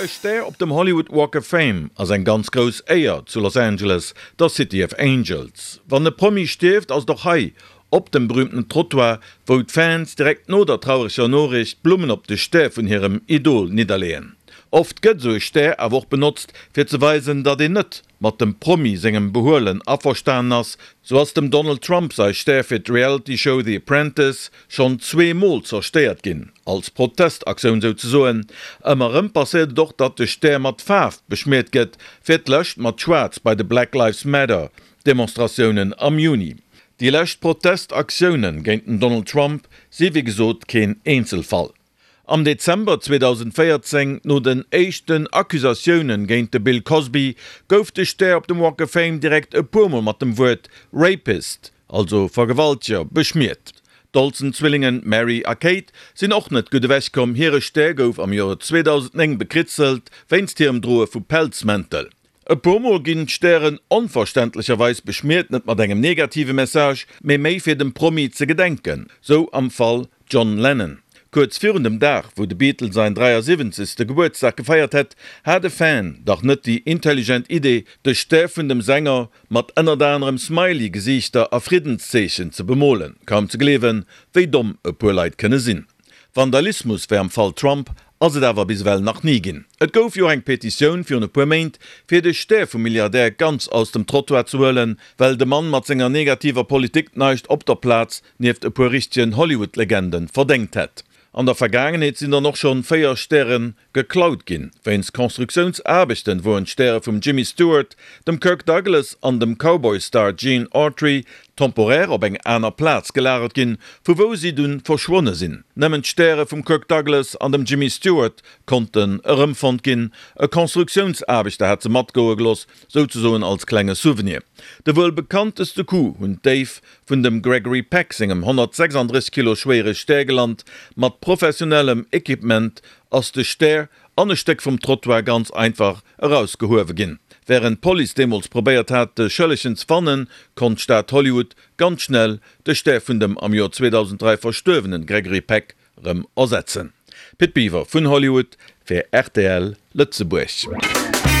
E Stär op dem Hollywood Walk of Fame ass eng ganz grouss Éier zu Los Angeles, der City of Angels. Wann e Promi stierft, ass et och hei op dem berüümten Trottoir, wou d'Fans direkt no der traureger Noriicht Blummen op de Stär vun hirem Idol nidderleeën. Oft gëtt esou e Stär awer och benotzt, fir ze weisen, datt een net mat dem Promi sengem Behuelen averstanen ass. Sou ass dem Donald Trump sai Stär fir d'Reality-Show The Apprentice schonn zweemol zerstéiert ginn, als Protestaktioun souzesoen. Ëmmer erëm passéiert et och, datt de Stär mat Faarf beschmiert gëtt, fir d'lescht mat Schwaarz bei de Black Lives Matter Demonstratiounen am Juni. Déi lescht Protestaktioune géint den Donald Trump si wéi gesot keen Eenzelfall. Am Dezember 2014, no den éischten Accusatioune géint de Bill Cosby, gouf de Stär op dem Walk of Fame direkt e puer Mol mat dem Wuert Rapist, also Vergewalteger, beschmiert. D'Olsen-Zwillingen Mary a Kate sinn och net gutt ewech komm, hire Stär gouf am Joer 2009 bekritzelt wéinst hirem Droe vu Pelzmäntel. E puer Mol ginn d'Stären onverständlecherweis beschmiert, net mat engem negative Message, mee méi fir dem Promi ze gedenken, sou am Fall John Lennon. Kuerz virun dem Dag, wou de Beatle säin 73. Gebuertsdag gefeiert hätt, hat e Fan dach net déi intelligent Idee, de Stär vun dem Sänger mat ënnert anerem Smiley-Gesiichter a Friddenszeechen ze bemolen. Kaum ze gleewen, wéi domm e puer Leit kënne sinn. Vandalismus wéi am Fall Trump ass et awer bis ewell nach ni ginn. Et gouf jo och eng Petitioun virun e puer Méint, fir de Stär vum Milliardär ganz aus dem Trottoir ze huelen, well de Mann mat senger negativer Politik naischt op der Plaz nieft e puer richtegen Hollywood-Legenden verdéngt hätt. An der Vergaangenheet sinn dann och schonn 4 Stäre geklaut ginn. Wéinst Constructiounsaarbechten woren d'Stäre vum Jimmy Stewart, dem Kirk Douglas an dem Cowboy-Star Gene Autry temporär op eng aner Plaz gelagert ginn, vu wou si dunn verschwonne sinn. Nëmmen d'Stäre vum Kirk Douglas an dem Jimmy Stewart konnten erëmfonnt ginn. E Constructiounsaarbechter hat se matgoe geloss, souzesoen als klenge Souvenir. De wuel bekannteste Coup hunn d'Déif vun dem Gregory Peck sengem 136 Kilo schwéiere Stär gelant. Mat professionellem Equipement ass de Stär an e Stéck vum Trottoir ganz einfach erausgehuewe ginn. Wärend d'Police deemools probéiert hat, de Schëllegen ze fannen, konnt d'Stad Hollywood ganz schnell de Stär vun dem am Joer 2003 verstuerwene Gregory Peck rëm ersetzen. Pit Biwer vun Hollywood fir rtl Lëtzebuerg.